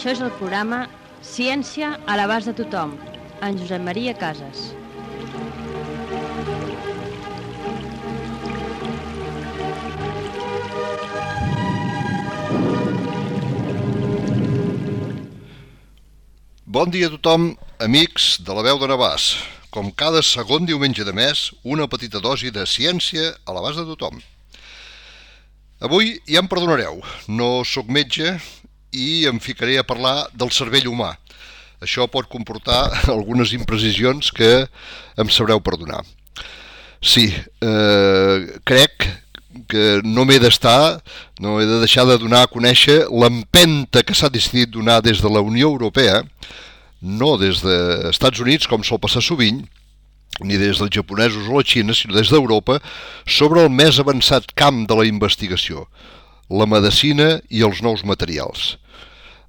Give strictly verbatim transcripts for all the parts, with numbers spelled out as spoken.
Això és el programa Ciència a l'abast de tothom, en Josep Maria Casas. Bon dia a tothom, amics de la veu de Navàs. Com cada segon diumenge de mes, una petita dosi de ciència a l'abast de tothom. Avui ja em perdonareu, no sóc metge i em ficaré a parlar del cervell humà. Això pot comportar algunes imprecisions que em sabreu perdonar. Sí, eh, crec que no m'he d'estar, no he de deixar de donar a conèixer l'empenta que s'ha decidit donar des de la Unió Europea, no des dels Estats Units, com sol passar sovint, ni des dels japonesos o la Xina, sinó des d'Europa, sobre el més avançat camp de la investigació, la medicina i els nous materials.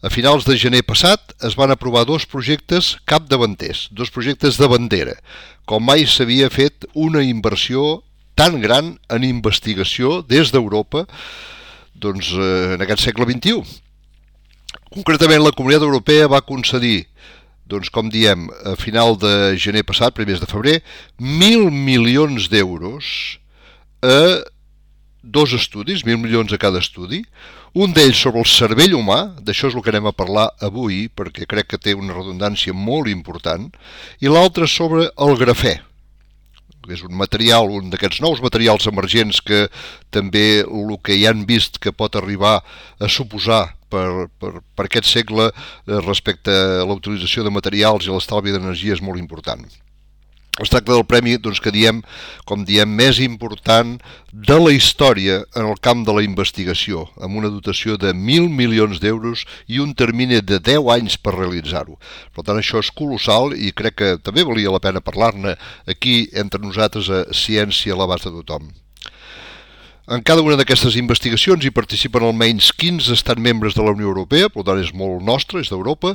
A finals de gener passat es van aprovar dos projectes capdavanters, dos projectes de bandera, com mai s'havia fet una inversió tan gran en investigació des d'Europa doncs, en aquest segle vint-i-u. Concretament, la Comunitat Europea va concedir, doncs, com diem, a final de gener passat, primers de febrer, mil milions d'euros a dos estudis, mil milions a cada estudi, un d'ells sobre el cervell humà, d'això és el que anem a parlar avui, perquè crec que té una redundància molt important, i l'altre sobre el grafè, que és un material, un d'aquests nous materials emergents que també el que ja han vist que pot arribar a suposar per, per, per aquest segle respecte a la utilització de materials i l'estalvi d'energia és molt important. Es tracta del premi doncs, que diem, com diem, més important de la història en el camp de la investigació, amb una dotació de mil milions d'euros i un termini de deu anys per realitzar-ho. Per tant, això és colossal i crec que també valia la pena parlar-ne aquí entre nosaltres a Ciència a l'abast de tothom. En cada una d'aquestes investigacions hi participen almenys quinze estats membres de la Unió Europea, per tant és molt nostre, és d'Europa,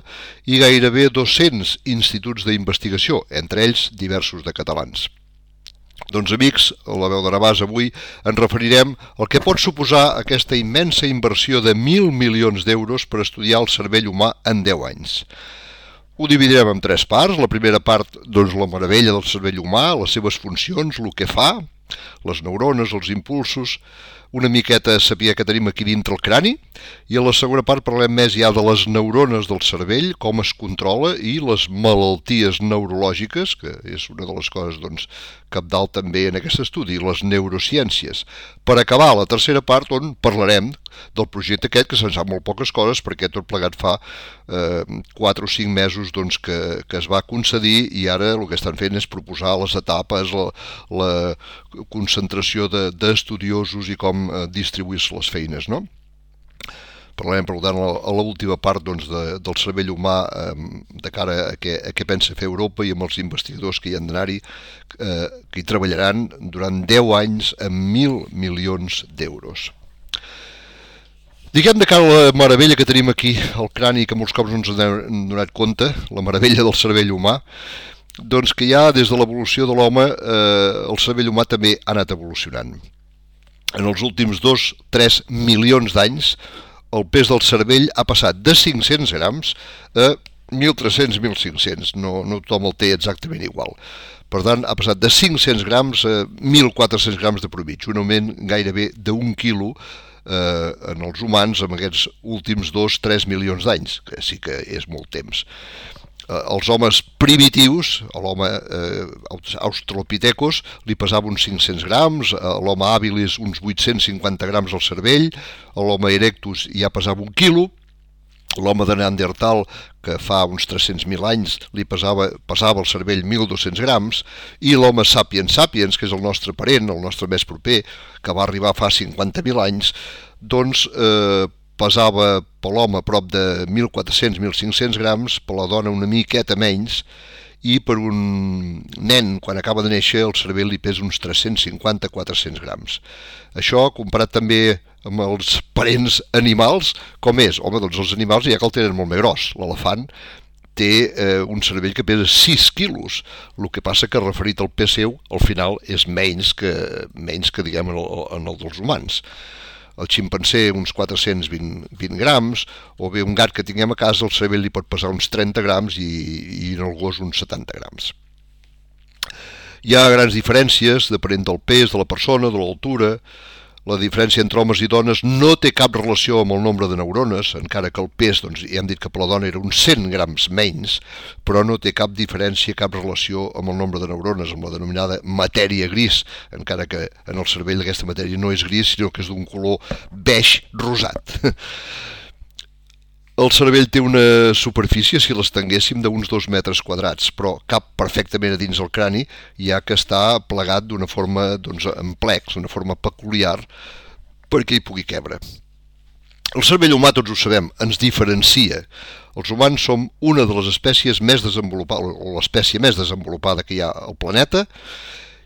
i gairebé dos-cents instituts d'investigació, entre ells diversos de catalans. Doncs amics, a la veu de Navàs avui ens referirem al que pot suposar aquesta immensa inversió de mil milions d'euros per estudiar el cervell humà en deu anys. Ho dividirem en tres parts. La primera part, doncs, la meravella del cervell humà, les seves funcions, el que fa, les neurones, els impulsos, una miqueta saber que tenim aquí dintre el crani, i a la segona part parlem més ja de les neurones del cervell, com es controla, i les malalties neurològiques, que és una de les coses doncs, cabdal també en aquest estudi, les neurociències. Per acabar la tercera part on parlarem del projecte aquest, que se'n sap molt poques coses, perquè tot plegat fa eh, quatre o cinc mesos doncs, que, que es va concedir i ara el que estan fent és proposar les etapes, la, la concentració d'estudiosos de, i com eh, distribuir-se les feines, no? Parlarem, per tant, a l'última part doncs, de, del cervell humà eh, de cara a què, a què pensa fer Europa i amb els investigadors que hi han d'anar-hi, eh, que hi treballaran durant deu anys amb mil milions d'euros. Diguem de cara a la meravella que tenim aquí al crani, que molts cops no ens hem donat compte, la meravella del cervell humà, doncs que ja des de l'evolució de l'home eh, el cervell humà també ha anat evolucionant. En els últims dos a tres milions d'anys el pes del cervell ha passat de cinc-cents grams a mil tres-cents a mil cinc-cents, no, no tothom el té exactament igual. Per tant, ha passat de cinc-cents grams a mil quatre-cents grams de provig, un augment gairebé d'un quilo eh, en els humans en aquests últims dos a tres milions d'anys, que sí que és molt temps. Els homes primitius, l'home eh, australopithecus, li pesava uns cinc-cents grams, l'home habilis uns vuit-cents cinquanta grams al cervell, l'home erectus ja pesava un quilo, l'home de Neandertal, que fa uns tres-cents mil anys, li pesava, pesava el cervell mil dos-cents grams, i l'home sapiens sapiens, que és el nostre parent, el nostre més proper, que va arribar fa cinquanta mil anys, doncs eh, pesava per l'home a prop de mil quatre-cents a mil cinc-cents grams, per la dona una miqueta menys, i per un nen, quan acaba de néixer, el cervell li pesa uns tres-cents cinquanta a quatre-cents grams. Això, comparat també amb els parents animals, com és? Home, doncs els animals ja que el tenen molt més gros. L'elefant té eh, un cervell que pesa sis quilos, el que passa que referit al pes seu, al final és menys que, menys que diguem, en el, en el dels humans. el ximpanzé uns quatre-cents vint grams, o bé un gat que tinguem a casa, el cervell li pot pesar uns trenta grams i, i en el gos uns setanta grams. Hi ha grans diferències depenent del pes de la persona, de l'altura. La diferència entre homes i dones no té cap relació amb el nombre de neurones, encara que el pes, doncs, ja hem dit que per la dona era uns cent grams menys, però no té cap diferència, cap relació amb el nombre de neurones, amb la denominada matèria gris, encara que en el cervell aquesta matèria no és gris, sinó que és d'un color beix rosat. El cervell té una superfície, si l'estenguéssim, d'uns dos metres quadrats, però cap perfectament a dins el crani, ja que està plegat d'una forma, doncs, en plecs, d'una forma peculiar, perquè hi pugui quebre. El cervell humà, tots ho sabem, ens diferencia. Els humans som una de les espècies més desenvolupades, o l'espècie més desenvolupada que hi ha al planeta,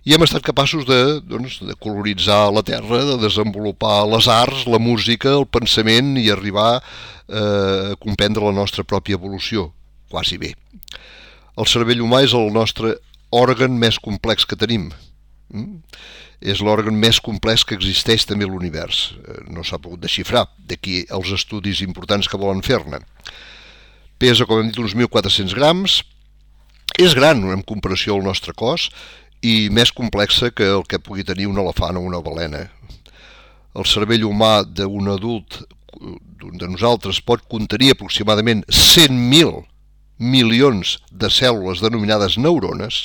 i hem estat capaços de, doncs, de colonitzar la Terra, de desenvolupar les arts, la música, el pensament i arribar eh, a comprendre la nostra pròpia evolució, quasi bé. El cervell humà és el nostre òrgan més complex que tenim. Mm? És l'òrgan més complex que existeix també a l'univers. No s'ha pogut desxifrar, d'aquí els estudis importants que volen fer-ne. Pesa, com hem dit, uns mil quatre-cents grams. És gran en comparació al nostre cos, i més complexa que el que pugui tenir un elefant o una balena. El cervell humà d'un adult, de nosaltres, pot contenir aproximadament cent mil milions de cèl·lules denominades neurones.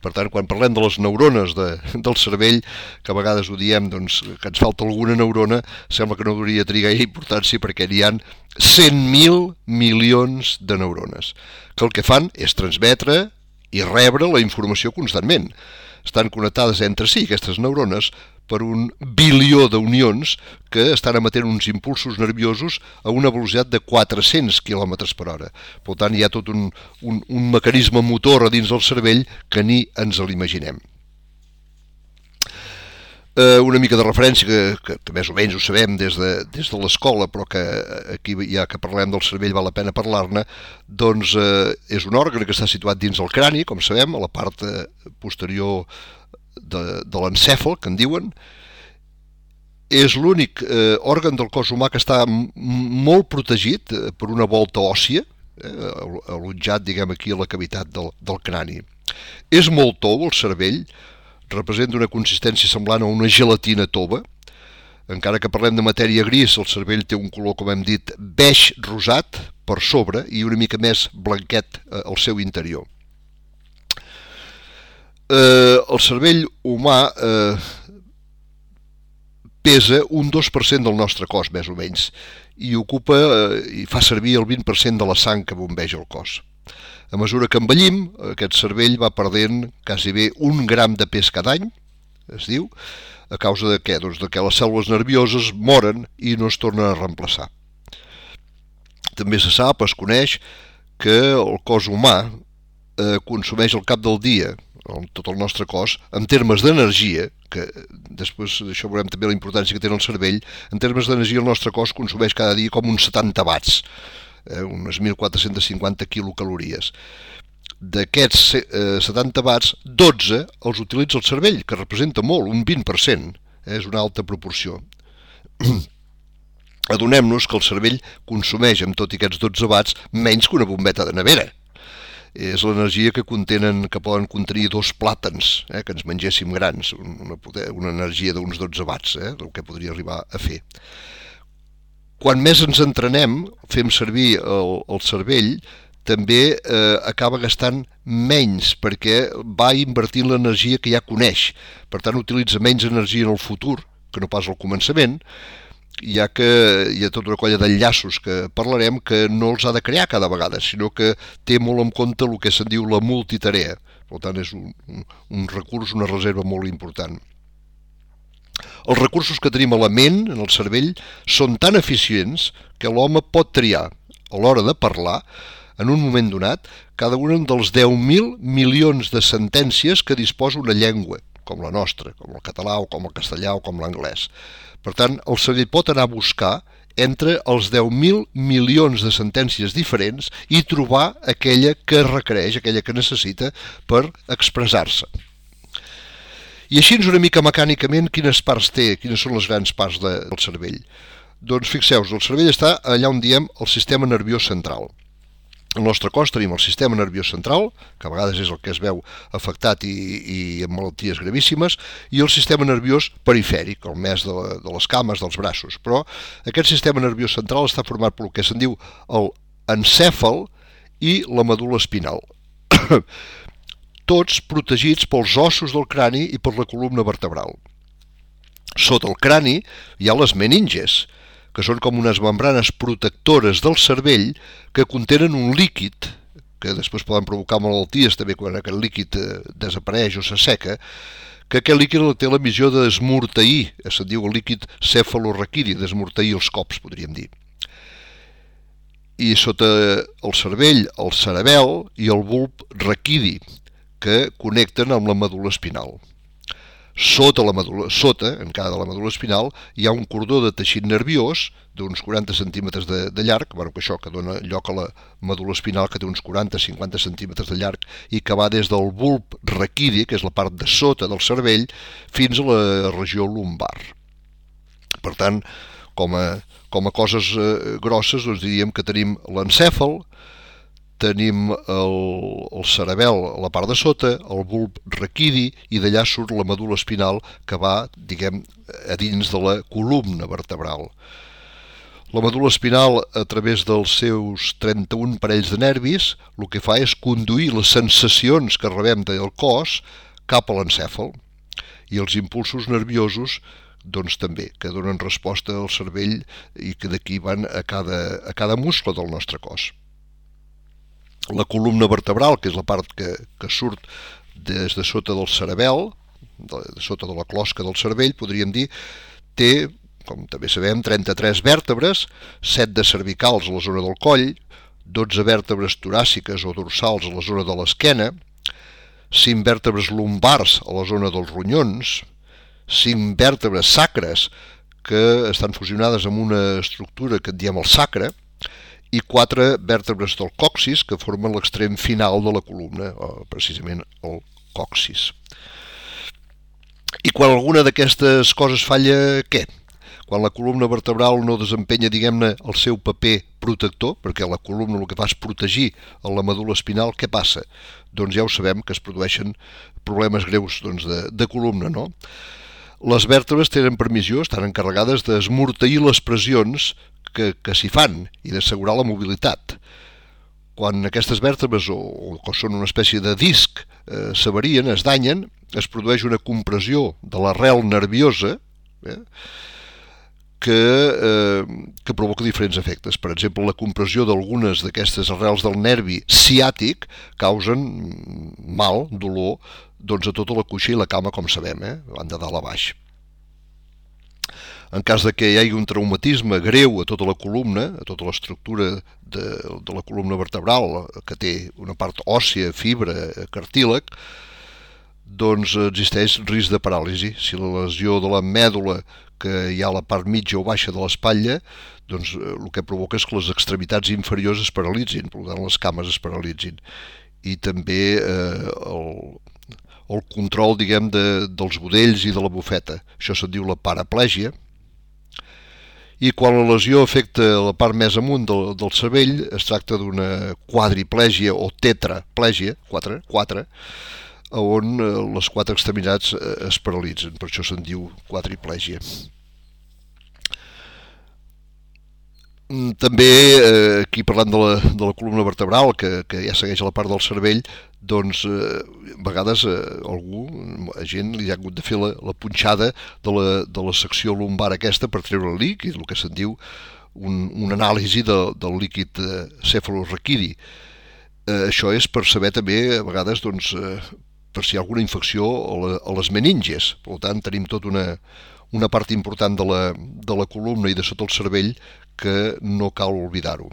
Per tant, quan parlem de les neurones de, del cervell, que a vegades ho diem, doncs, que ens falta alguna neurona, sembla que no hauria de trigar importància perquè n'hi ha cent mil milions de neurones, que el que fan és transmetre i rebre la informació constantment. Estan connectades entre si, aquestes neurones, per un bilió d'unions que estan emetent uns impulsos nerviosos a una velocitat de quatre-cents quilòmetres per hora. Per tant, hi ha tot un, un, un mecanisme motor a dins del cervell que ni ens l'imaginem. Eh, una mica de referència, que, que, que més o menys ho sabem des de, des de l'escola, però que aquí ja que parlem del cervell val la pena parlar-ne, doncs eh, és un òrgan que està situat dins el crani, com sabem, a la part posterior de, de l'encèfal, que en diuen. És l'únic eh, òrgan del cos humà que està molt protegit eh, per una volta òssia, eh, allotjat, diguem, aquí a la cavitat del, del crani. És molt tou el cervell, representa una consistència semblant a una gelatina tova. Encara que parlem de matèria gris, el cervell té un color, com hem dit, beix rosat per sobre i una mica més blanquet al seu interior. Eh, el cervell humà eh, pesa un dos per cent del nostre cos, més o menys, i ocupa eh, i fa servir el vint per cent de la sang que bombeja el cos. A mesura que envellim, aquest cervell va perdent quasi bé un gram de pes cada any, es diu, a causa de què? Doncs de que les cèl·lules nervioses moren i no es tornen a reemplaçar. També se sap, es coneix, que el cos humà eh, consumeix al cap del dia, tot el nostre cos, en termes d'energia, que després d'això veurem també la importància que té el cervell, en termes d'energia el nostre cos consumeix cada dia com uns setanta watts, eh, unes mil quatre-cents cinquanta quilocalories. D'aquests eh, setanta watts, dotze els utilitza el cervell, que representa molt, un vint per cent, eh, és una alta proporció. Adonem-nos que el cervell consumeix amb tot i aquests dotze watts menys que una bombeta de nevera. És l'energia que contenen, que poden contenir dos plàtans, eh, que ens mengéssim grans, una, una energia d'uns dotze watts, eh, el que podria arribar a fer. Quan més ens entrenem, fem servir el, el cervell, també eh, acaba gastant menys, perquè va invertint l'energia que ja coneix. Per tant, utilitza menys energia en el futur que no pas al començament, ja que hi ha tota una colla d'enllaços que parlarem que no els ha de crear cada vegada, sinó que té molt en compte el que se'n diu la multitarea. Per tant, és un, un, un recurs, una reserva molt important. Els recursos que tenim a la ment, en el cervell, són tan eficients que l'home pot triar, a l'hora de parlar, en un moment donat, cada un dels deu mil milions de sentències que disposa una llengua, com la nostra, com el català o com el castellà o com l'anglès. Per tant, el cervell pot anar a buscar entre els deu mil milions de sentències diferents i trobar aquella que requereix, aquella que necessita per expressar-se. I així una mica mecànicament quines parts té, quines són les grans parts de, del cervell. Doncs fixeu-vos, el cervell està allà on diem el sistema nerviós central. Al nostre cos tenim el sistema nerviós central, que a vegades és el que es veu afectat i, i amb malalties gravíssimes, i el sistema nerviós perifèric, el més de, la, de les cames, dels braços. Però aquest sistema nerviós central està format pel que se'n diu el encèfal i la medul·la espinal. Tots protegits pels ossos del crani i per la columna vertebral. Sota el crani hi ha les meninges, que són com unes membranes protectores del cervell que contenen un líquid, que després poden provocar malalties també quan aquest líquid desapareix o s'asseca, que aquest líquid té la missió d'esmorteir, se'n diu el líquid cefalorraquidi, d'esmorteir els cops, podríem dir. I sota el cervell, el cerebel i el bulb raquidi, que connecten amb la medul·la espinal. Sota, la medul·la, sota, en cada de la medul·la espinal, hi ha un cordó de teixit nerviós d'uns quaranta centímetres de, de llarg, bueno, que això que dona lloc a la medul·la espinal, que té uns quaranta a cinquanta centímetres de llarg, i que va des del bulb raquidi, que és la part de sota del cervell, fins a la regió lumbar. Per tant, com a, com a coses eh, grosses, doncs diríem que tenim l'encèfal, tenim el, el cerebel a la part de sota, el bulb raquidi, i d'allà surt la medul·la espinal que va, diguem, a dins de la columna vertebral. La medul·la espinal, a través dels seus trenta-un parells de nervis, el que fa és conduir les sensacions que rebem del cos cap a l'encèfal, i els impulsos nerviosos doncs també, que donen resposta al cervell i que d'aquí van a cada, a cada muscle del nostre cos. La columna vertebral, que és la part que, que surt des de sota del cerebel, de, de sota de la closca del cervell, podríem dir, té, com també sabem, trenta-tres vèrtebres, set de cervicals a la zona del coll, dotze vèrtebres toràciques o dorsals a la zona de l'esquena, cinc vèrtebres lumbars a la zona dels ronyons, cinc vèrtebres sacres que estan fusionades amb una estructura que en diem el sacre, i quatre vèrtebres del coxis que formen l'extrem final de la columna, precisament el coxis. I quan alguna d'aquestes coses falla, què? Quan la columna vertebral no desempenya, diguem-ne, el seu paper protector, perquè la columna el que fa és protegir la medul·la espinal, què passa? Doncs ja ho sabem, que es produeixen problemes greus doncs, de, de columna, no? Les vèrtebres tenen permissió, estan encarregades d'esmorteir les pressions que, que s'hi fan i d'assegurar la mobilitat. Quan aquestes vèrtebres, o, o són una espècie de disc, eh, s'avarien, es danyen, es produeix una compressió de l'arrel nerviosa eh, que, eh, que provoca diferents efectes. Per exemple, la compressió d'algunes d'aquestes arrels del nervi ciàtic causen mal, dolor, doncs a tota la cuixa i la cama, com sabem, eh, van de dalt a baix. En cas de que hi hagi un traumatisme greu a tota la columna, a tota l'estructura de, de la columna vertebral, que té una part òssia, fibra, cartílag, doncs existeix risc de paràlisi. Si la lesió de la mèdula, que hi ha a la part mitja o baixa de l'espatlla, doncs el que provoca és que les extremitats inferiors es paralitzin, per tant les cames es paralitzin. I també eh, el, el control, diguem, de, dels budells i de la bufeta. Això se'n diu la paraplègia. I quan la lesió afecta la part més amunt del, del cervell, es tracta d'una quadriplègia o tetraplègia, quatre, quatre, on les quatre extremitats es paralitzen, per això se'n diu quadriplègia. També, eh, aquí parlant de la, de la columna vertebral, que, que ja segueix a la part del cervell, doncs eh, a vegades eh, algú, a gent li ha hagut de fer la, la punxada de la, de la secció lumbar aquesta per treure el líquid, el que se'n diu un, un anàlisi de, del líquid eh, cefalorraquidi. Eh, això és per saber també, a vegades, doncs, eh, per si hi ha alguna infecció a, la, a les meninges. Per tant, tenim tot una, una part important de la, de la columna i de sota el cervell que no cal oblidar-ho.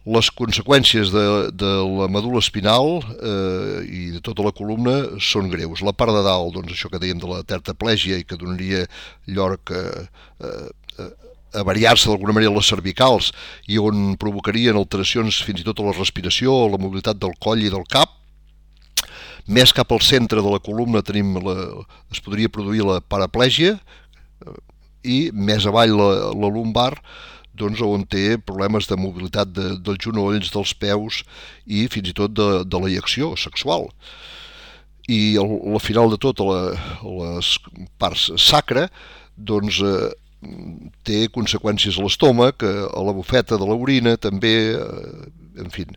Les conseqüències de, de la medul·la espinal eh, i de tota la columna són greus. La part de dalt, doncs això que dèiem de la tetraplègia i que donaria lloc a, a, a variar-se d'alguna manera les cervicals i on provocarien alteracions fins i tot a la respiració o la mobilitat del coll i del cap. Més cap al centre de la columna tenim la, es podria produir la paraplegia, i més avall la, la lumbar, doncs, on té problemes de mobilitat de, dels genolls, dels peus i fins i tot de, de l'eyecció sexual. I al, al final de tot, a, la, a les parts sacra, doncs, eh, té conseqüències a l'estómac, a la bufeta de l'orina, també, eh, en fi,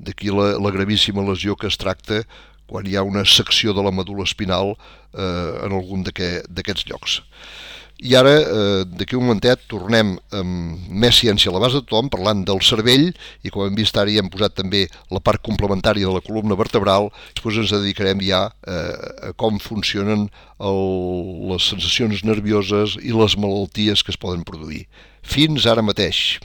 d'aquí la, la gravíssima lesió que es tracta quan hi ha una secció de la medul·la espinal eh, en algun d'aquests llocs. I ara, eh, d'aquí un momentet, tornem amb més ciència a l'abast de tothom, parlant del cervell, i com hem vist ara ja hem posat també la part complementària de la columna vertebral. Després ens dedicarem ja eh, a com funcionen el, les sensacions nervioses i les malalties que es poden produir. Fins ara mateix.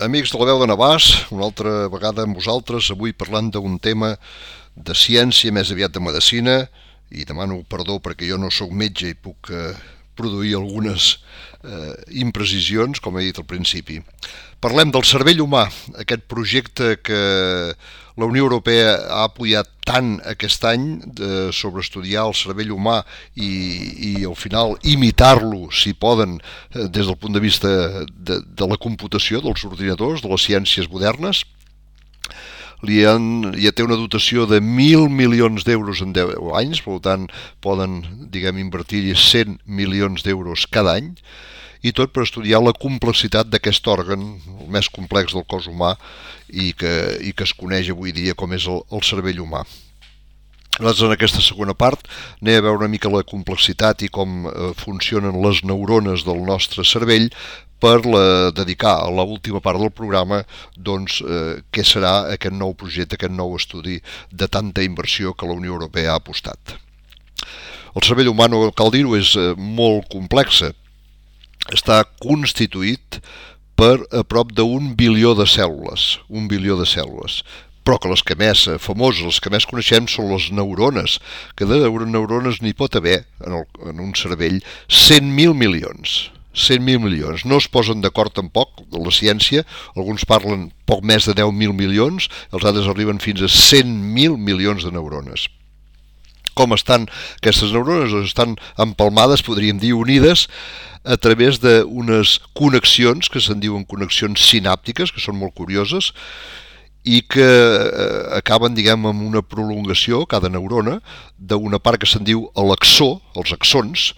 Amics de la veu de Navàs, una altra vegada amb vosaltres, avui parlant d'un tema de ciència, més aviat de medicina, i demano perdó perquè jo no sóc metge i puc eh, produir algunes eh, imprecisions, com he dit al principi. Parlem del cervell humà, aquest projecte que la Unió Europea ha apoyat tant aquest any de, sobre estudiar el cervell humà i, i al final imitar-lo, si poden, des del punt de vista de, de la computació, dels ordinadors, de les ciències modernes. Li han, ja té una dotació de mil milions d'euros en deu anys, per tant poden, diguem, invertir-hi cent milions d'euros cada any, i tot per estudiar la complexitat d'aquest òrgan, el més complex del cos humà i que, i que es coneix avui dia com és el, el cervell humà. Nosaltres en aquesta segona part anem a veure una mica la complexitat i com eh, funcionen les neurones del nostre cervell per la, dedicar a l'última part del programa doncs, eh, què serà aquest nou projecte, aquest nou estudi de tanta inversió que la Unió Europea ha apostat. El cervell humà, no cal dir-ho, és eh, molt complex. Està constituït per a prop d'un bilió de cèl·lules, un bilió de cèl·lules, però que les que més famoses, les que més coneixem són les neurones, que de neurones n'hi pot haver en, el, en un cervell cent mil milions. cent mil milions. No es posen d'acord tampoc la ciència, alguns parlen poc més de deu mil milions, els altres arriben fins a cent mil milions de neurones. Com estan aquestes neurones? Estan empalmades, podríem dir, unides a través d'unes connexions que se'n diuen connexions sinàptiques, que són molt curioses, i que eh, acaben, diguem, amb una prolongació, cada neurona, d'una part que se'n diu l'axó, els axons,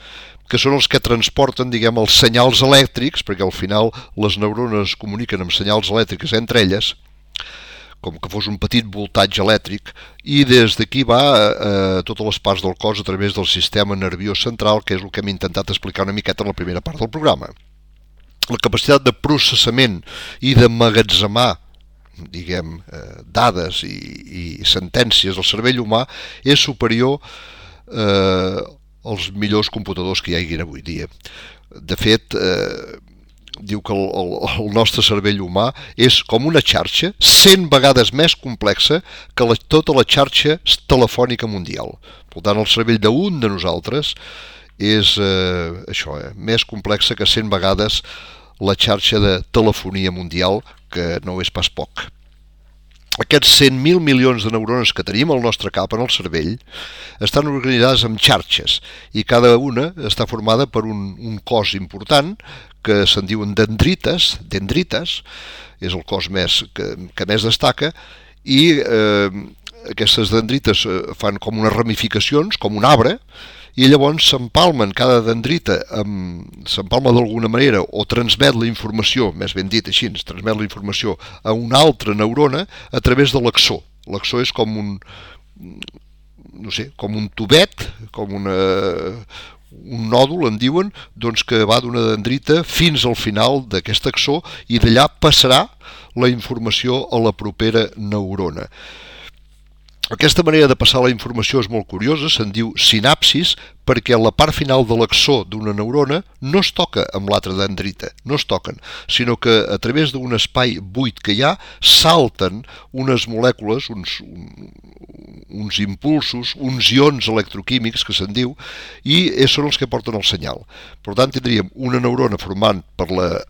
que són els que transporten, diguem, els senyals elèctrics, perquè al final les neurones es comuniquen amb senyals elèctriques entre elles, com que fos un petit voltatge elèctric, i des d'aquí va a totes les parts del cos a través del sistema nerviós central, que és el que hem intentat explicar una miqueta en la primera part del programa. La capacitat de processament i d'emmagatzemar, diguem, dades i, i sentències del cervell humà és superior eh, als millors computadors que hi hagi avui dia. De fet, eh, diu que el, el, el nostre cervell humà és com una xarxa cent vegades més complexa que la, tota la xarxa telefònica mundial. Per tant, el cervell d'un de nosaltres és eh, això, eh, més complexa que cent vegades la xarxa de telefonia mundial, que no és pas poc. Aquests cent mil milions de neurones que tenim al nostre cap, en el cervell, estan organitzades en xarxes i cada una està formada per un, un cos important que se'n diuen dendrites, dendrites, és el cos més que, que més destaca, i eh, aquestes dendrites fan com unes ramificacions, com un arbre, i llavors s'empalmen cada dendrita, s'empalma d'alguna manera o transmet la informació, més ben dit així, transmet la informació a una altra neurona a través de l'axó. L'axó és com un, no sé, com un tubet, com una, un nòdul, en diuen, doncs que va d'una dendrita fins al final d'aquest axó i d'allà passarà la informació a la propera neurona. Aquesta manera de passar la informació és molt curiosa, se'n diu sinapsis, perquè la part final de l'axó d'una neurona no es toca amb l'altra dendrita, no es toquen, sinó que a través d'un espai buit que hi ha salten unes molècules, uns, uns impulsos, uns ions electroquímics que se'n diu, i són els que porten el senyal. Per tant, tindríem una neurona formant per la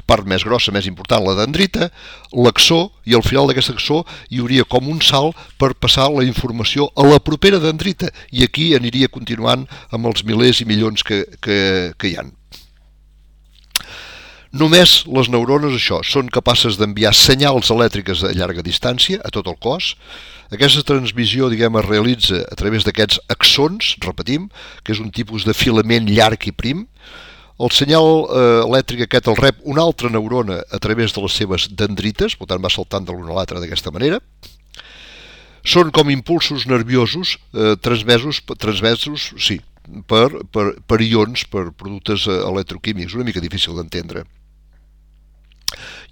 part més grossa, més important, la dendrita, l'axó, i al final d'aquest axó hi hauria com un salt per passar la informació a la propera dendrita, i aquí aniria continuant amb els milers i milions que, que, que hi ha. Només les neurones, això, són capaces d'enviar senyals elèctriques a llarga distància a tot el cos. Aquesta transmissió, diguem, es realitza a través d'aquests axons, repetim, que és un tipus de filament llarg i prim. El senyal eh, elèctric aquest el rep una altra neurona a través de les seves dendrites, per tant va saltant de l'una a l'altra d'aquesta manera. Són com impulsos nerviosos eh, transmesos, transmesos sí, per, per, per ions, per productes electroquímics, una mica difícil d'entendre.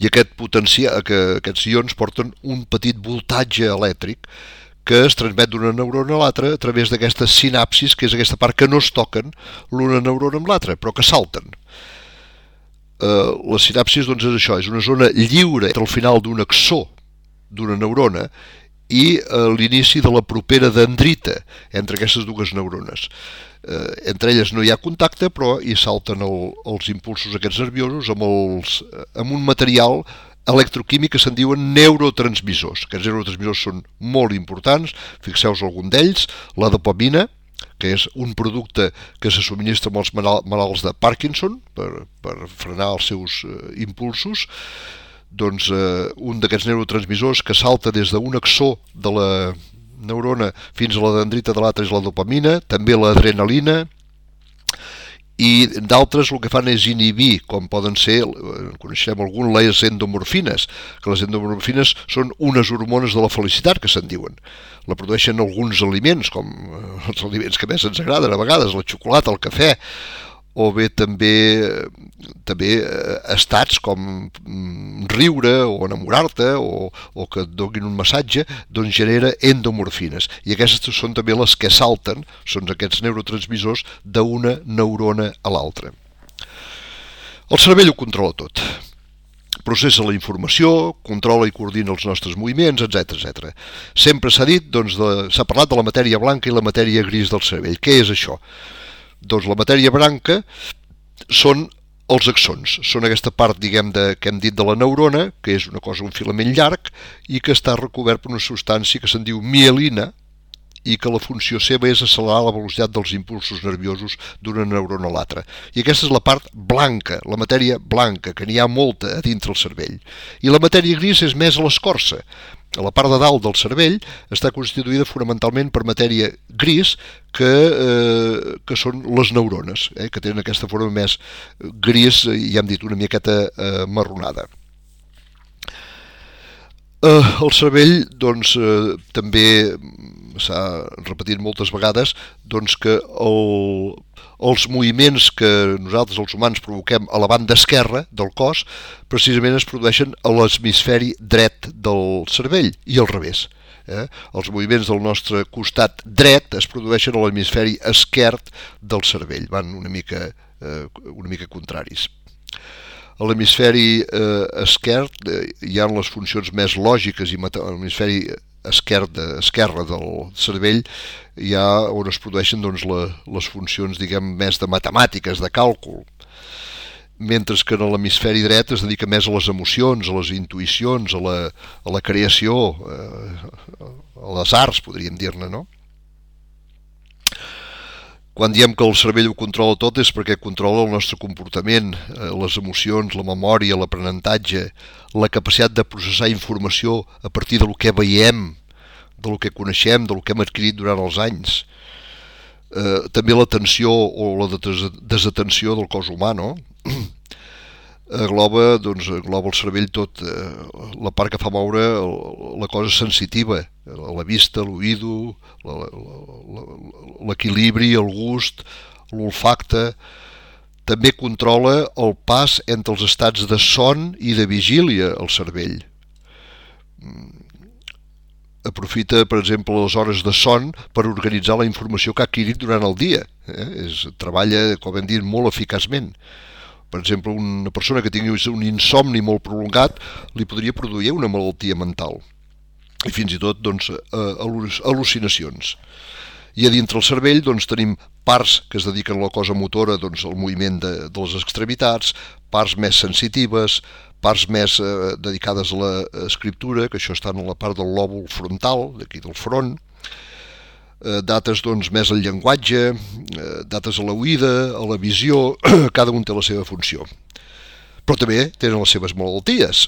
I aquest potencial, que aquests ions porten un petit voltatge elèctric que es transmet d'una neurona a l'altra a través d'aquestes sinapsis, que és aquesta part que no es toquen l'una neurona amb l'altra, però que salten. Eh, les sinapsis, doncs, és això, és una zona lliure entre el final d'un axó d'una neurona i eh, l'inici de la propera dendrita entre aquestes dues neurones. Eh, entre elles no hi ha contacte, però hi salten el, els impulsos aquests nerviosos amb, els, amb un material electroquímic que se'n diuen neurotransmissors. Aquests neurotransmissors són molt importants, fixeu-vos algun d'ells, la dopamina, que és un producte que se subministra als malalts de Parkinson per, per frenar els seus eh, impulsos. Doncs eh, un d'aquests neurotransmissors que salta des d'un axó de la neurona fins a la dendrita de l'altra és la dopamina, també l'adrenalina, i d'altres el que fan és inhibir, com poden ser, coneixem algun, les endomorfines, que les endomorfines són unes hormones de la felicitat, que se'n diuen. La produeixen alguns aliments, com els aliments que més ens agraden a vegades, la xocolata, el cafè, o bé també, també estats com riure o enamorar-te o, o que et donin un massatge, doncs genera endomorfines. I aquestes són també les que salten, són aquests neurotransmissors d'una neurona a l'altra. El cervell ho controla tot. Processa la informació, controla i coordina els nostres moviments, etcètera etcètera. Sempre s'ha dit, doncs, de, s'ha parlat de la matèria blanca i la matèria gris del cervell. Què és això? Doncs la matèria blanca són els axons, són aquesta part, diguem, de, que hem dit de la neurona, que és una cosa, un filament llarg, i que està recobert per una substància que se'n diu mielina, i que la funció seva és accelerar la velocitat dels impulsos nerviosos d'una neurona a l'altra. I aquesta és la part blanca, la matèria blanca, que n'hi ha molta a dintre el cervell. I la matèria gris és més a l'escorça. La part de dalt del cervell està constituïda fonamentalment per matèria gris, que, eh, que són les neurones, eh, que tenen aquesta forma més gris, ja hem dit, una miqueta eh, marronada. Eh, el cervell, doncs, eh, també s'ha repetit moltes vegades, doncs, que el, els moviments que nosaltres, els humans, provoquem a la banda esquerra del cos, precisament es produeixen a l'hemisferi dret del cervell i al revés. Eh? Els moviments del nostre costat dret es produeixen a l'hemisferi esquerd del cervell, van una mica, eh, una mica contraris. A l'hemisferi eh, esquerd eh, hi ha les funcions més lògiques i a l'hemisferi esquerra, esquerra del cervell hi ha on es produeixen, doncs, la, les funcions, diguem, més de matemàtiques, de càlcul, mentre que en l'hemisferi dret es dedica més a les emocions, a les intuïcions, a la, a la creació, eh, a les arts, podríem dir-ne, no? Quan diem que el cervell ho controla tot és perquè controla el nostre comportament, les emocions, la memòria, l'aprenentatge, la capacitat de processar informació a partir del que veiem, del que coneixem, del que hem adquirit durant els anys. Eh, també l'atenció o la desatenció del cos humà, no? Engloba, doncs, engloba el cervell tot, eh, la part que fa moure la cosa sensitiva, la vista, l'oïdo, l'equilibri, el gust, l'olfacte. També controla el pas entre els estats de son i de vigília al cervell. Aprofita, per exemple, les hores de son per organitzar la informació que ha adquirit durant el dia. Eh? És, treballa, com hem dit, molt eficaçment. Per exemple, una persona que tingui un insomni molt prolongat li podria produir una malaltia mental i fins i tot, doncs, al·lucinacions. I a dintre el cervell, doncs, tenim parts que es dediquen a la cosa motora, doncs, al moviment de, de les extremitats, parts més sensitives, parts més eh, dedicades a l'escriptura, que això està en la part del lòbul frontal, d'aquí del front, dates, doncs, més al llenguatge, dates a l'oïda, a la visió, cada un té la seva funció. Però també tenen les seves malalties.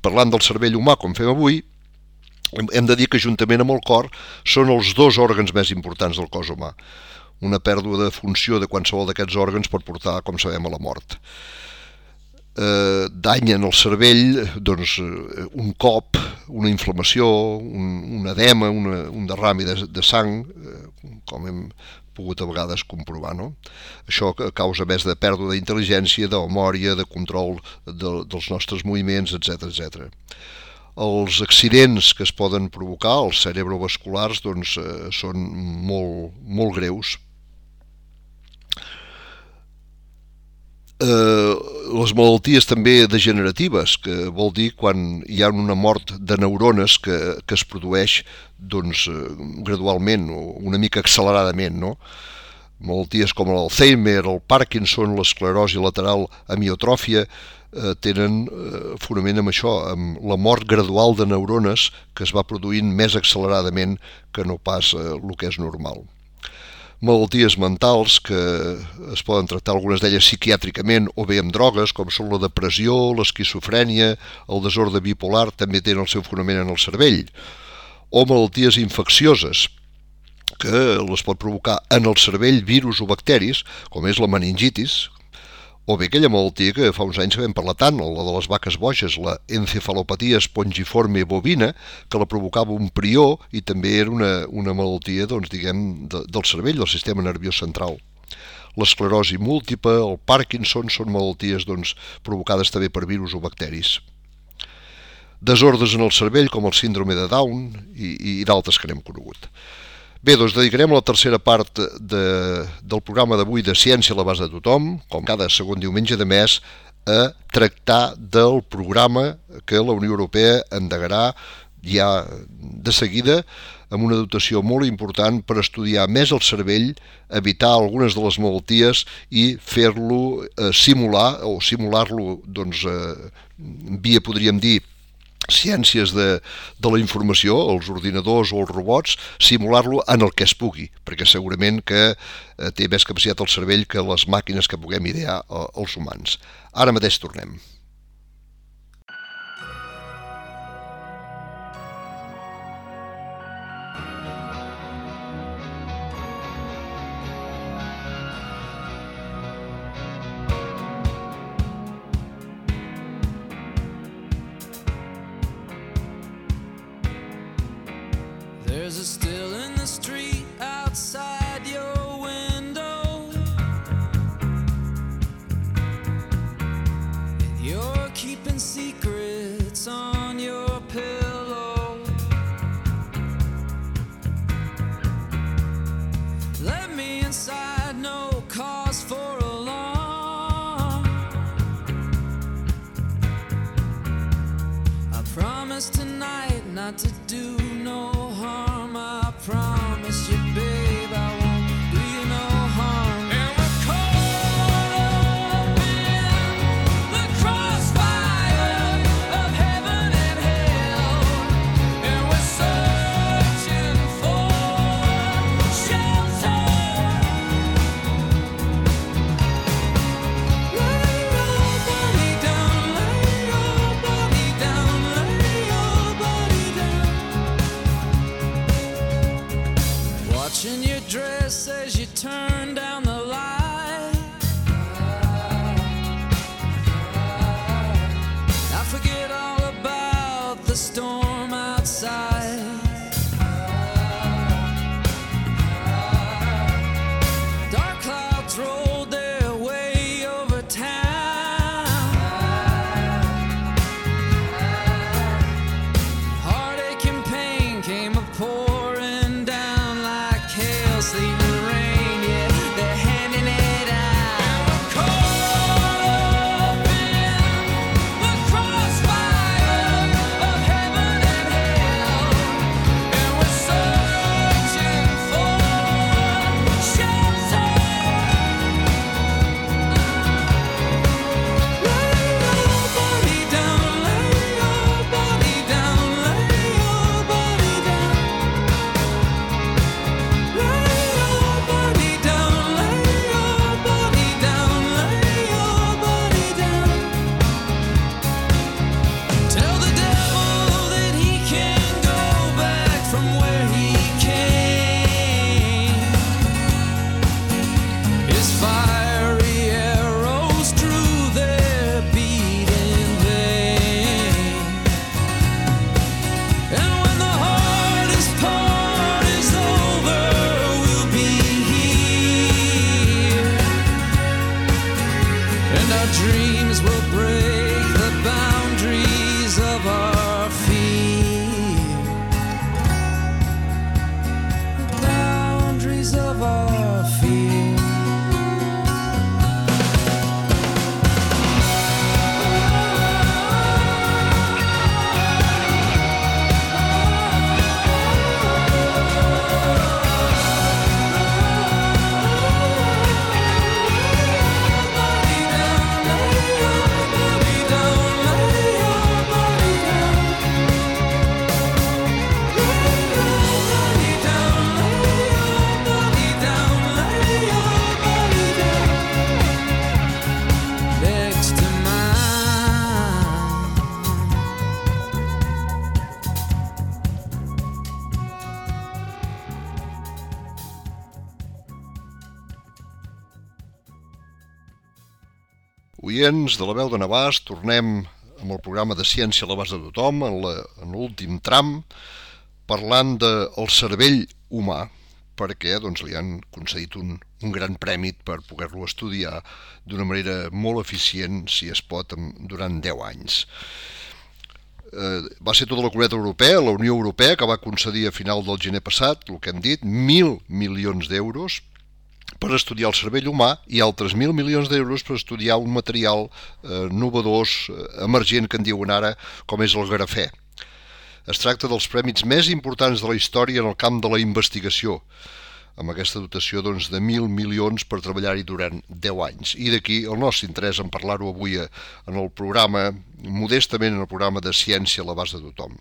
Parlant del cervell humà, com fem avui, hem de dir que juntament amb el cor són els dos òrgans més importants del cos humà. Una pèrdua de funció de qualsevol d'aquests òrgans pot portar, com sabem, a la mort. Eh, danyen el cervell, doncs, un cop, una inflamació, un, un edema, una, un derrami de, de sang, eh, com hem pogut a vegades comprovar, no? Això causa més de pèrdua d'intel·ligència, de memòria, de control de, dels nostres moviments, etcètera etcètera. Els accidents que es poden provocar, els cerebrovasculars, doncs, eh, són molt, molt greus. eh, les malalties també degeneratives, que vol dir quan hi ha una mort de neurones que, que es produeix doncs, gradualment o una mica acceleradament, no? Malalties com l'Alzheimer, el Parkinson, l'esclerosi lateral amiotròfia eh, tenen eh, fonament amb això, amb la mort gradual de neurones que es va produint més acceleradament que no pas eh, el que és normal. Malalties mentals que es poden tractar algunes d'elles psiquiàtricament o bé amb drogues, com són la depressió, l'esquizofrènia, el desordre bipolar, també tenen el seu fonament en el cervell, o malalties infeccioses, que les pot provocar en el cervell virus o bacteris, com és la meningitis, o bé aquella malaltia que fa uns anys vam parlar tant, la de les vaques boges, la encefalopatia espongiforme bovina, que la provocava un prió i també era una, una malaltia doncs, diguem, de, del cervell, del sistema nerviós central. L'esclerosi múltiple, el Parkinson, són malalties doncs, provocades també per virus o bacteris. Desordres en el cervell, com el síndrome de Down i, i d'altres que n'hem conegut. Bé, doncs dedicarem la tercera part de, del programa d'avui de Ciència a l'abast de tothom, com cada segon diumenge de mes, a tractar del programa que la Unió Europea endegarà ja de seguida amb una dotació molt important per estudiar més el cervell, evitar algunes de les malalties i fer-lo eh, simular o simular-lo doncs, eh, via, podríem dir, ciències de, de la informació, els ordinadors o els robots, simular-lo en el que es pugui, perquè segurament que eh, té més capacitat el cervell que les màquines que puguem idear eh, els humans. Ara mateix tornem. There's a still in the street outside your window, and you're keeping secrets on your pillow. Let me inside, no cause for alarm. I promise tonight not to do no harm. I promise you, babe, I won't do you no harm. And we're caught up in the crossfire of heaven and hell, and we're searching for shelter. Lay your body down, lay your body down, lay your body down. oients de la veu de Navàs, tornem amb el programa de Ciència a l'abast de tothom, en l'últim tram, parlant del cervell humà, perquè doncs, li han concedit un, un gran prèmit per poder-lo estudiar d'una manera molt eficient, si es pot, durant deu anys. Eh, va ser tota la Comunitat Europea, la Unió Europea, que va concedir a final del gener passat, el que hem dit, mil milions d'euros per estudiar el cervell humà i altres mil milions d'euros per estudiar un material eh, novedós, eh, emergent, que en diuen ara, com és el grafè. Es tracta dels prèmits més importants de la història en el camp de la investigació, amb aquesta dotació doncs, de mil milions per treballar-hi durant deu anys. I d'aquí el nostre interès en parlar-ho avui en el programa, modestament en el programa de Ciència a l'abast de tothom.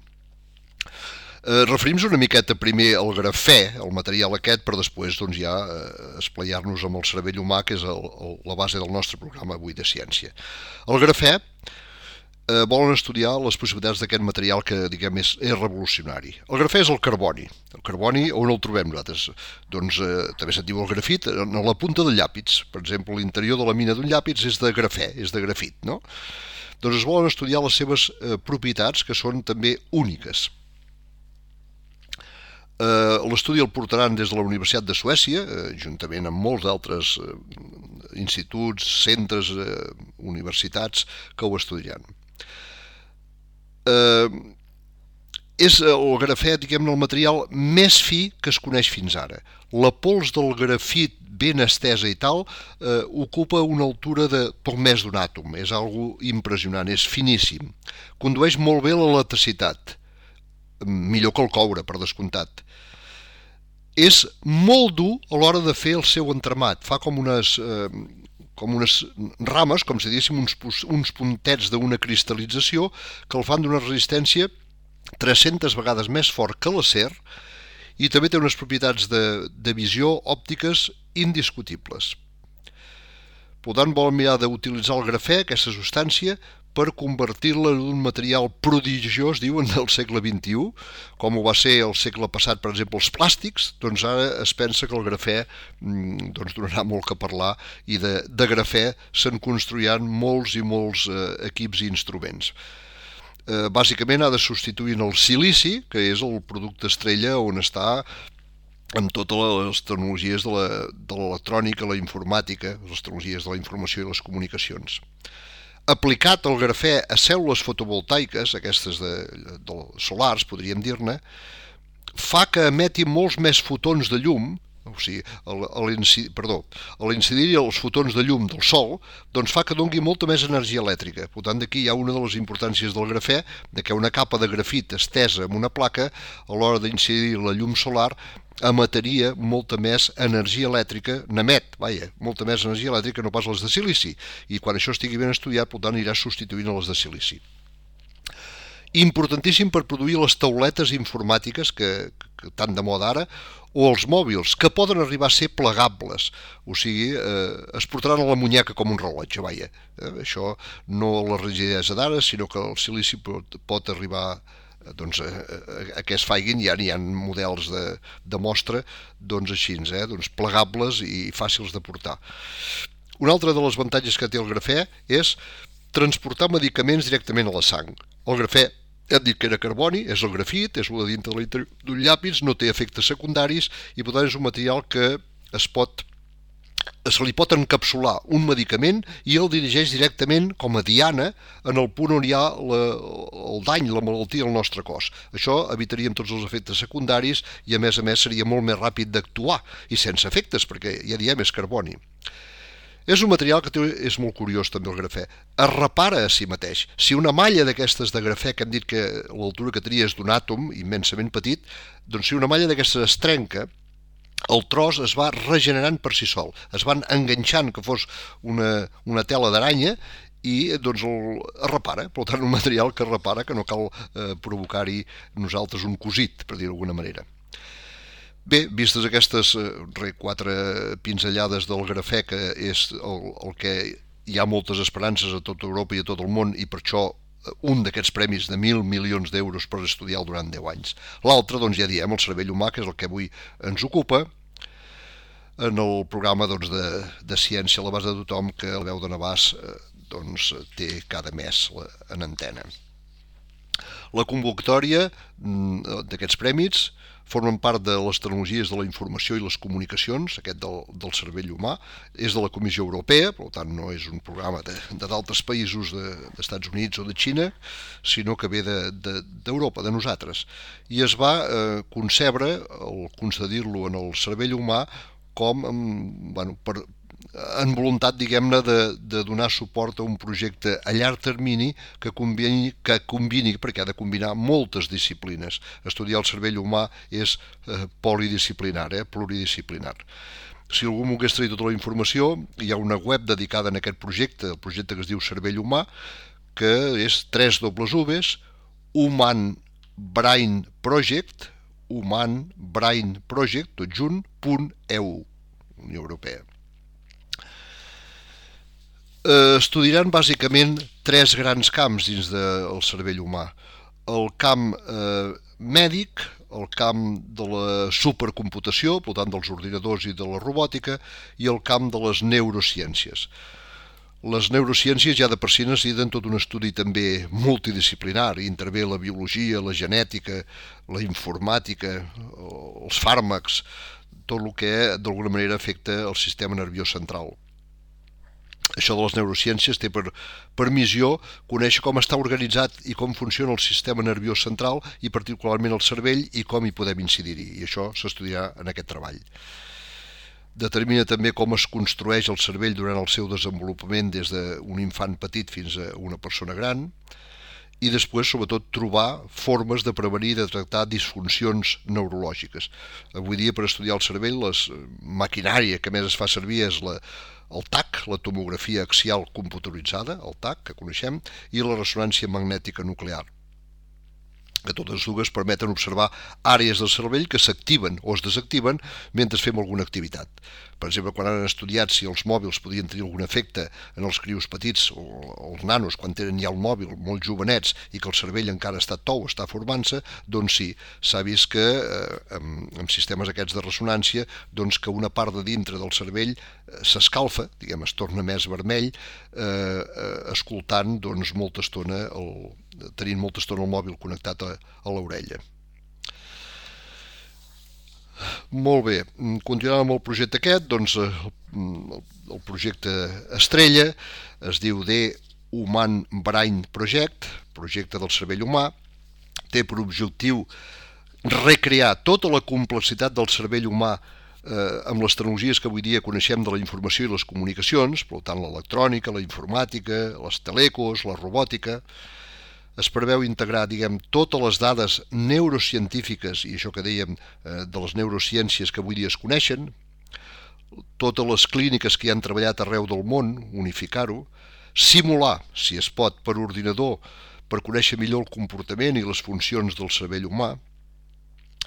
Eh, Referim-nos una miqueta primer al grafè, el material aquest, per després doncs, ja eh, esplayar-nos amb el cervell humà, que és el, el, la base del nostre programa avui de ciència. El grafè eh, volen estudiar les possibilitats d'aquest material que, diguem, és, és revolucionari. El grafè és el carboni. El carboni, on el trobem nosaltres? Doncs eh, també se'n diu el grafit, a la punta del llàpid. Per exemple, l'interior de la mina d'un llàpid és de grafè, és de grafit, no? Doncs es volen estudiar les seves eh, propietats, que són també úniques. L'estudi el portaran des de la Universitat de Suècia, juntament amb molts d'altres instituts, centres, universitats que ho estudiaran. És el grafè, diguem-ne, el material més fi que es coneix fins ara. La pols del grafit ben estesa i tal eh, ocupa una altura de poc més d'un àtom. És algo impressionant, és finíssim. Condueix molt bé l'electricitat, millor que el coure, per descomptat. És molt dur a l'hora de fer el seu entramat. Fa com unes, eh, com unes rames, com si diguéssim uns, uns puntets d'una cristal·lització que el fan d'una resistència tres-centes vegades més fort que l'acer i també té unes propietats de, de visió òptiques indiscutibles. Per tant, volen mirar d'utilitzar el grafè, aquesta substància, per convertir-la en un material prodigiós, diuen, del segle vint-i-u, com ho va ser el segle passat, per exemple, els plàstics, doncs ara es pensa que el grafè doncs, donarà molt que parlar i de, de grafè se'n construiran molts i molts eh, equips i instruments. Eh, bàsicament ha de substituir el silici, que és el producte estrella on està amb totes les tecnologies de l'electrònica, la informàtica, les tecnologies de la informació i les comunicacions. Aplicat el grafè a cèl·lules fotovoltaiques, aquestes de, de solars, podríem dir-ne, fa que emeti molts més fotons de llum, o sigui, a l'incidir els fotons de llum del sol, doncs fa que doni molta més energia elèctrica. Per tant, d'aquí hi ha una de les importàncies del grafè, de que una capa de grafit estesa en una placa, a l'hora d'incidir la llum solar, emetria molta més energia elèctrica, n'emet, vaja, molta més energia elèctrica, no pas les de silici, i quan això estigui ben estudiat, per tant, anirà substituint a les de silici. Importantíssim per produir les tauletes informàtiques, que, que tan de moda ara, o els mòbils, que poden arribar a ser plegables, o sigui, eh, es portaran a la muñeca com un rellotge, vaja. Eh, això no la rigidesa d'ara, sinó que el silici pot, pot arribar doncs, a, a, a que es faiguin, ja n'hi ha models de, de mostra doncs així, eh, doncs plegables i fàcils de portar. Un altre dels avantatges que té el grafè és transportar medicaments directament a la sang. El grafè, hem dit que era carboni, és el grafit, és el de dintre d'un llàpid, no té efectes secundaris i per tant és un material que es pot, se li pot encapsular un medicament i el dirigeix directament com a diana en el punt on hi ha la, el dany, la malaltia al nostre cos. Això evitaríem tots els efectes secundaris i a més a més seria molt més ràpid d'actuar i sense efectes perquè ja diem és carboni. És un material que té, és molt curiós també el grafè, es repara a si mateix. Si una malla d'aquestes de grafè, que hem dit que l'altura que tenia és d'un àtom immensament petit, doncs si una malla d'aquestes es trenca, el tros es va regenerant per si sol, es van enganxant que fos una, una tela d'aranya i doncs el, es repara, per tant un material que es repara, que no cal eh, provocar-hi nosaltres un cosit, per dir d'alguna manera. Bé, vistes aquestes eh, quatre pinzellades del grafè, que és el, el que hi ha moltes esperances a tota Europa i a tot el món, i per això un d'aquests premis de mil milions d'euros per estudiar durant deu anys. L'altre, doncs ja diem, el cervell humà, que és el que avui ens ocupa, en el programa doncs, de, de ciència a l'abast de tothom, que la veu de Navàs eh, doncs, té cada mes en antena. La convocatòria d'aquests prèmits formen part de les tecnologies de la informació i les comunicacions, aquest del, del cervell humà, és de la Comissió Europea, per tant no és un programa de, de d'altres països de, d'Estats Units o de Xina, sinó que ve d'Europa, de, de, de nosaltres. I es va eh, concebre, el concedir-lo en el cervell humà, com bueno, per, en voluntat, diguem-ne, de, de donar suport a un projecte a llarg termini que combini, que combini, perquè ha de combinar moltes disciplines. Estudiar el cervell humà és eh, polidisciplinar, eh, pluridisciplinar. Si algú volgués tenir tota la informació, hi ha una web dedicada a aquest projecte, el projecte que es diu Cervell Humà, que és tres dobles uves, Human Brain Project, Human Brain Project, tot junt, punt E U, Unió Europea. Eh, estudiaran bàsicament tres grans camps dins del cervell humà. El camp eh, mèdic, el camp de la supercomputació, per tant dels ordinadors i de la robòtica, i el camp de les neurociències. Les neurociències ja de per si necessiten tot un estudi també multidisciplinar, hi intervé la biologia, la genètica, la informàtica, els fàrmacs, tot el que d'alguna manera afecta el sistema nerviós central. Això de les neurociències té per, per missió conèixer com està organitzat i com funciona el sistema nerviós central i particularment el cervell i com hi podem incidir-hi, i això s'estudiarà en aquest treball. Determina també com es construeix el cervell durant el seu desenvolupament des d'un infant petit fins a una persona gran i després, sobretot, trobar formes de prevenir i de tractar disfuncions neurològiques. Avui dia, per estudiar el cervell, la maquinària que més es fa servir és la el T A C, la tomografia axial computeritzada, el T A C, que coneixem, i la ressonància magnètica nuclear, que totes dues permeten observar àrees del cervell que s'activen o es desactiven mentre fem alguna activitat. Per exemple, quan han estudiat si els mòbils podien tenir algun efecte en els crios petits o els nanos quan tenen ja el mòbil molt jovenets i que el cervell encara està tou, està formant-se, doncs sí, s'ha vist que eh, amb, amb sistemes aquests de ressonància, doncs que una part de dintre del cervell eh, s'escalfa, diguem, es torna més vermell, eh, eh, escoltant doncs, molta estona, el, tenint molta estona el mòbil connectat a, a l'orella. Molt bé, continuant amb el projecte aquest, doncs el, el projecte estrella es diu The Human Brain Project, projecte del cervell humà, té per objectiu recrear tota la complexitat del cervell humà eh, amb les tecnologies que avui dia coneixem de la informació i les comunicacions, per tant l'electrònica, la informàtica, les telecos, la robòtica. Es preveu integrar, diguem, totes les dades neurocientífiques, i això que dèiem eh, de les neurociències que avui dia es coneixen, totes les clíniques que hi han treballat arreu del món, unificar-ho, simular, si es pot, per ordinador, per conèixer millor el comportament i les funcions del cervell humà,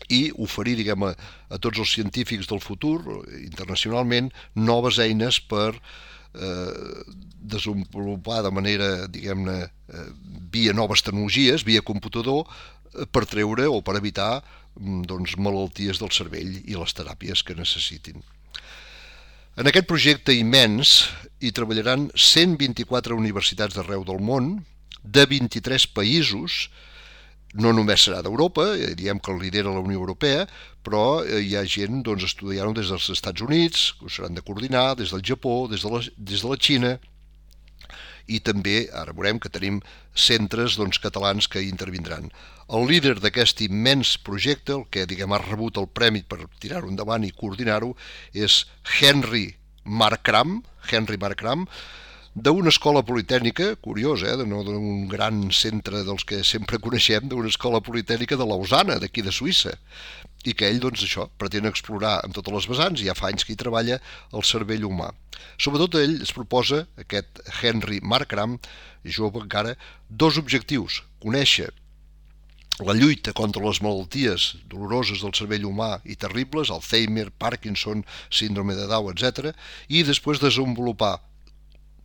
i oferir, diguem, a, a tots els científics del futur, internacionalment, noves eines per eh, desenvolupar de manera, diguem-ne, eh, via noves tecnologies, via computador, eh, per treure o per evitar doncs, malalties del cervell i les teràpies que necessitin. En aquest projecte immens hi treballaran cent vint-i-quatre universitats d'arreu del món, de vint-i-tres països, no només serà d'Europa, diem que el lidera la Unió Europea, però hi ha gent doncs, estudiant-ho des dels Estats Units, que ho seran de coordinar, des del Japó, des de la, des de la Xina, i també, ara veurem que tenim centres doncs, catalans que hi intervindran. El líder d'aquest immens projecte, el que diguem ha rebut el premi per tirar-ho endavant i coordinar-ho, és Henry Markram, Henry Markram, d'una escola politècnica, curiós, eh, no d'un gran centre dels que sempre coneixem, d'una escola politècnica de Lausana, d'aquí de Suïssa, i que ell, doncs, això, pretén explorar en totes les vessants, i ja fa anys que hi treballa el cervell humà. Sobretot ell es proposa, aquest Henry Markram, jove encara, dos objectius: conèixer la lluita contra les malalties doloroses del cervell humà i terribles, Alzheimer, Parkinson, síndrome de Down, etcètera, i després desenvolupar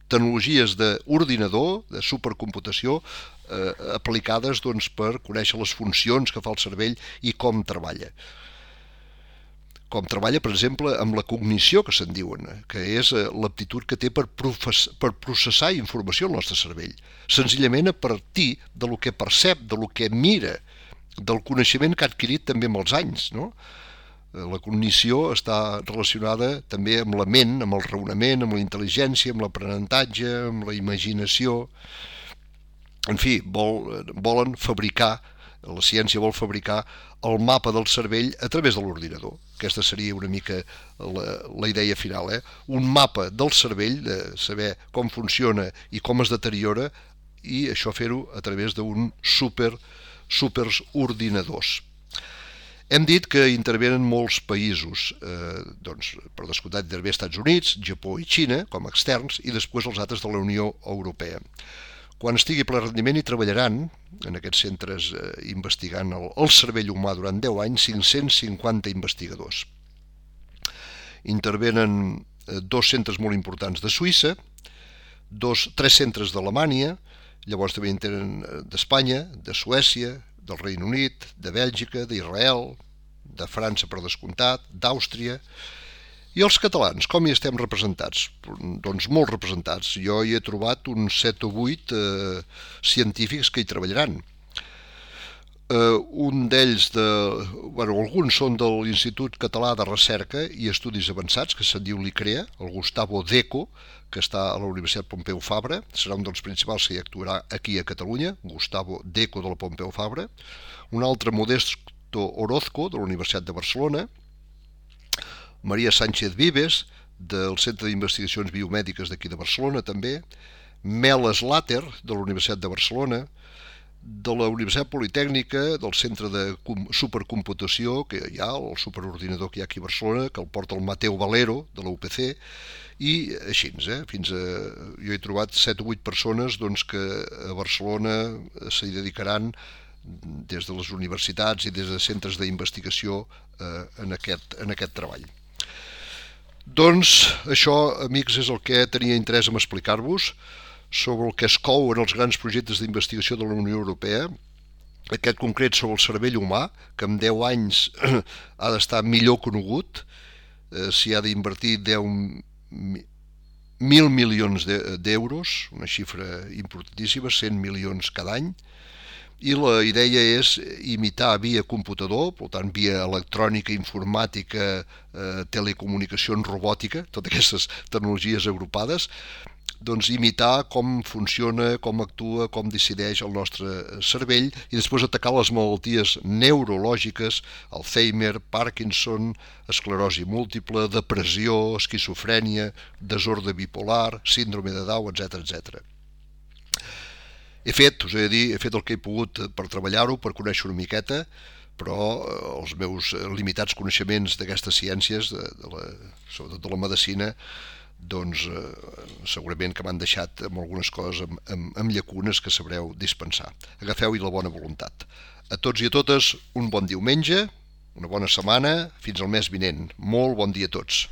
tecnologies d'ordinador, de supercomputació, eh, aplicades doncs, per conèixer les funcions que fa el cervell i com treballa. com treballa, per exemple, amb la cognició, que se'n diuen, que és l'aptitud que té per, per processar informació al nostre cervell, senzillament a partir de lo que percep, de lo que mira, del coneixement que ha adquirit també amb els anys, no? La cognició està relacionada també amb la ment, amb el raonament, amb la intel·ligència, amb l'aprenentatge, amb la imaginació. En fi, vol, volen fabricar, la ciència vol fabricar el mapa del cervell a través de l'ordinador. Aquesta seria una mica la, la idea final, eh? Un mapa del cervell, de saber com funciona i com es deteriora, i això fer-ho a través d'un super, supers ordinadors. Hem dit que intervenen molts països, eh, doncs, per descomptat intervé Estats Units, Japó i Xina com a externs, i després els altres de la Unió Europea. Quan estigui ple rendiment hi treballaran, en aquests centres eh, investigant el, el cervell humà durant deu anys, cinc-cents cinquanta investigadors. Intervenen eh, dos centres molt importants de Suïssa, dos, tres centres d'Alemanya, llavors també intervenen d'Espanya, de Suècia, del Regne Unit, de Bèlgica, d'Israel, de França per descomptat, d'Àustria. I els catalans, com hi estem representats? Doncs molt representats. Jo hi he trobat uns set o vuit eh, científics que hi treballaran. Eh, un d'ells, de, bueno, alguns són de l'Institut Català de Recerca i Estudis Avançats, que se'n diu l'ICREA, el Gustavo Deco, que està a la Universitat Pompeu Fabra, serà un dels principals que hi actuarà aquí a Catalunya, Gustavo Deco de la Pompeu Fabra. Un altre, Modesto Orozco, de la Universitat de Barcelona. Maria Sánchez Vives, del Centre d'Investigacions Biomèdiques d'aquí de Barcelona, també. Mel Slater, de la Universitat de Barcelona. De la Universitat Politècnica, del Centre de Supercomputació, que hi ha, el superordinador que hi ha aquí a Barcelona, que el porta el Mateu Valero, de la U P C, i així, eh? Fins a, jo he trobat set o vuit persones doncs, que a Barcelona s'hi dedicaran des de les universitats i des de centres d'investigació eh, en, aquest, en aquest treball. Doncs això, amics, és el que tenia interès en explicar-vos sobre el que es cou en els grans projectes d'investigació de la Unió Europea, aquest concret sobre el cervell humà, que en deu anys ha d'estar millor conegut, eh, s'hi ha d'invertir deu mil milions d'euros, una xifra importantíssima, cent milions cada any, i la idea és imitar via computador, per tant via electrònica, informàtica, eh, telecomunicacions, robòtica, totes aquestes tecnologies agrupades, doncs imitar com funciona, com actua, com decideix el nostre cervell i després atacar les malalties neurològiques, Alzheimer, Parkinson, esclerosi múltiple, depressió, esquizofrènia, desordre bipolar, síndrome de Down, etcètera, etcètera. He fet, us he de dir, he fet el que he pogut per treballar-ho, per conèixer una miqueta, però els meus limitats coneixements d'aquestes ciències, de, de la, sobretot de la medicina, doncs eh, segurament que m'han deixat amb algunes coses amb, amb, amb llacunes que sabreu dispensar. Agafeu-hi la bona voluntat. A tots i a totes, un bon diumenge, una bona setmana, fins al mes vinent. Molt bon dia a tots.